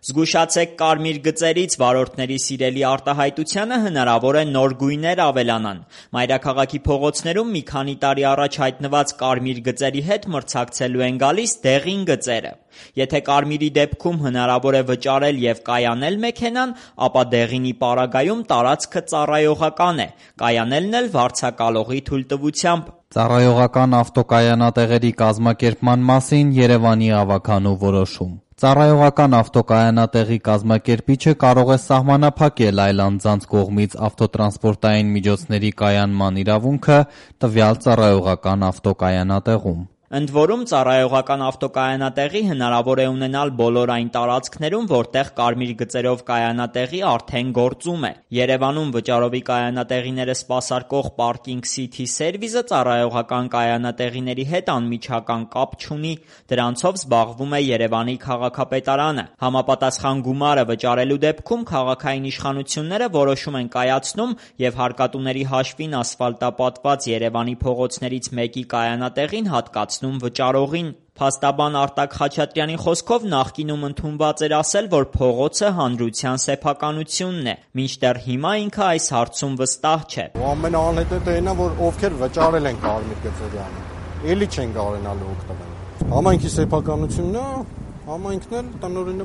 Զգուշացեք կարմիր գծերից, վարորդների սիրելի արտահայտությանը հնարավոր է նոր գույներ ավելանան։ Մայրաքաղաքի փողոցներում մի քանի տարի առաջ հայտնված կարմիր գծերի հետ մրցակցելու են գալիս դեղին գծերը։ Եթե կարմիրի դեպքում հնարավոր է վճարել և կայանել մեքենան, ապա դեղինի պարագայում տարածքը ծառայողական է, կայանելն էլ վարձակալողի թույլտվությամբ։ Ծառայողական ավտոկայանատեղերի կազմակերպման մասին Երևանի ավագանու որոշում։ Ծառայողական ավտոկայանատեղի կազմակերպիչը կարող է սահմանափակել այլ անձանց կողմից ավտոտրանսպորտային միջոցների կայանման իրավունքը տվյալ ծառայողական ավտոկայանատեղում։ Ընդ որում, ծառայողական ավտոկայանատեղի հնարավոր է ունենալ բոլոր այն տարածքներում, որտեղ կարմիր գծերով կայանատեղի արդեն գործում է։ Երևանում վճարովի կայանատեղիները սպասարկող Parking City Service-ը ծառայողական կայանատեղիների հետ անմիջական կապ չունի, դրանցով զբաղվում է Երևանի քաղաքապետարանը։ Համապատասխան գումարը վճարելու դեպքում քաղաքային իշխանությունները որոշում են կայացնում և հարկատուների հաշվին ասֆալտապատված Երևանի փողոցներից մեկի կայանատեղին հատկացնում վճարողին։ Փաստաբան Արտակ Խաչատրյանի խոսքով նախկինում ընդունված էր ասել, որ փողոցը հանրության սեփականությունն է, մինչդեռ հիմա ինքը այս հարցում վստահ չէ։ Ամենաանհետեթը այն է, որ ովքեր վճարել են կարմիր գծերի համար, էլի չեն կարողանալու օգտվել։ Համայնքի սեփականությունն է, համայնքն էլ տնօրենը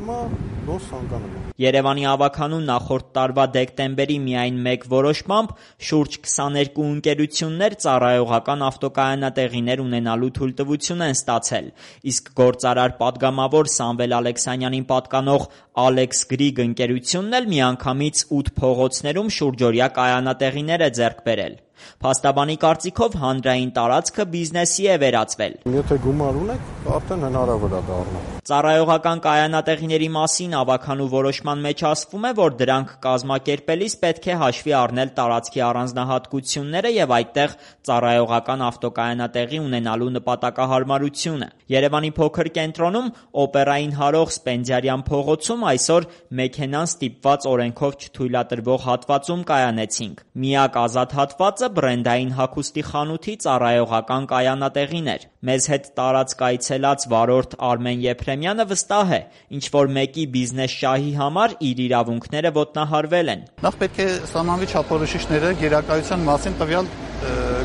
ոնց ցանկանում է։ Երևանի ավագանու նախորդ տարվա դեկտեմբերի միայն մեկ որոշմամբ շուրջ 22 ընկերություններ ծառայողական ավտոկայանատեղիներ ունենալու թույլտվություն են ստացել, իսկ գործարար պատգամավոր Սամվել Ալեքսանյանին պատկանող Alex Grig ընկերությունն էլ միանգամից 8 փողոցներում շուրջօրյա կայանատեղիներ է ձեռք բերել։ Փաստաբանի կարծիքով հանրային տարածքը բիզնեսի է վերածվել։ Եթե գումար ունեք, արդեն հնարավոր է դառնա։ Ծառայողական կայանատեղիների մասին ավագանու որոշման մեջ ասվում է, որ դրանք կազմակերպելիս պետք է հաշվի առնել տարածքի առանձնահատկությունները և այդտեղ ծառայողական ավտոկայանատեղի ունենալու նպատակահարմարությունը։ Երևանի փոքր կենտրոնում օպերային հարող Սպենդիարյան փողոցում այսօր մեքենան ստիպված օրենքով չթույլատրվող հատվածում կայանեցինք։ Միակ ազատ հատվածը բրենդային հագուստի խանութի ծառայողական կայանատեղին էր։ Մեզ հետ տարածք այցելած վարորդ Արմեն Եփրեմյանը վստահ է, ինչ-որ մեկի բիզնես շահի համար իր իրավունքները ոտնահարվել են։ Նախ պետք է սահմանվի չափորոշիչները գերակայության մասին տվյալ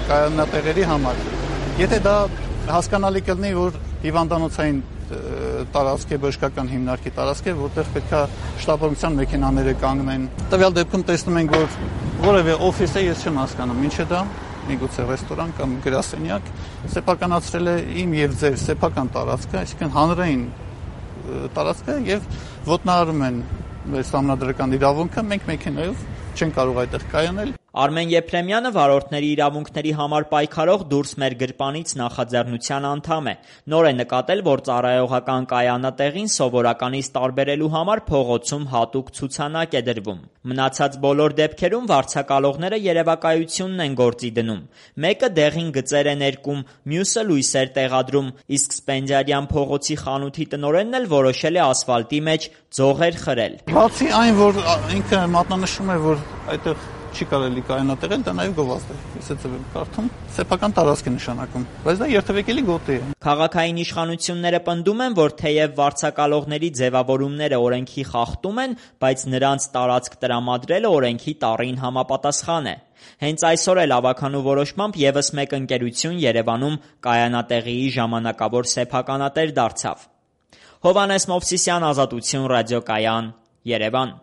կայանատեղերի համար։ Եթե դա հասկանալի կլինի, որ հիվանդանոցային տարածք է, բժշկական հիմնարկի տարածք է, որտեղ պետք է շտապօգնության մեքենաները կանգնեն։ Տվյալ դեպքում տեսնում ենք, որ որևէ օֆիս է, ես չեմ հասկանում, ինչ է դա, միգուցե ռեստորան կամ գրասենյակ, սեփականացրել է իմ եւ ձեր սեփական տարածքը, այսինքն հանրային տարածքը եւ ոտնահարում են մեր սահմանադրական իրավունքը, մենք մեքենայով չեն կարող այդտեղ կայանել։ Արմեն Եփրեմյանը վարորդների իրավունքների համար պայքարող «Դուրս մեր գրպանից» նախաձեռնության անդամ է։ Նոր է նկատել, որ ծառայողական կայանատեղին սովորականից տարբերելու համար փողոցում հատուկ ցուցանակ է դրվում։ Մնացած բոլոր դեպքերում վարձակալողները երևակայությունն են գործի դնում։ Մեկը դեղին գծեր է ներկում, մյուսը լույսեր տեղադրում, իսկ Սպենդիարյան փողոցի խանութի տնօրենն էլ որոշել է ասֆալտի մեջ ձողեր խրել։ Բացի այն, որ ինքը մատնանշում է, որ այդտեղ չի կարելի կայանատեղել, դա նաև գովազդ է։ Ես այդ եմ կարդում, սեփական տարածք է նշանակում, բայց դա երթևեկելի գոտի է։ Քաղաքային իշխանությունները պնդում են, որ թեև վարձակալողների ձևավորումները օրենքի խախտում են, բայց նրանց տարածք տրամադրելը օրենքի տառին համապատասխան է։ Հենց այսօր էլ ավագանու որոշմամբ ևս մեկ ընկերություն Երևանում կայանատեղիի ժամանակավոր սեփականատեր դարձավ։ Հովհաննես Մովսիսյան, Ազատություն ռադիոկայան, Երևան։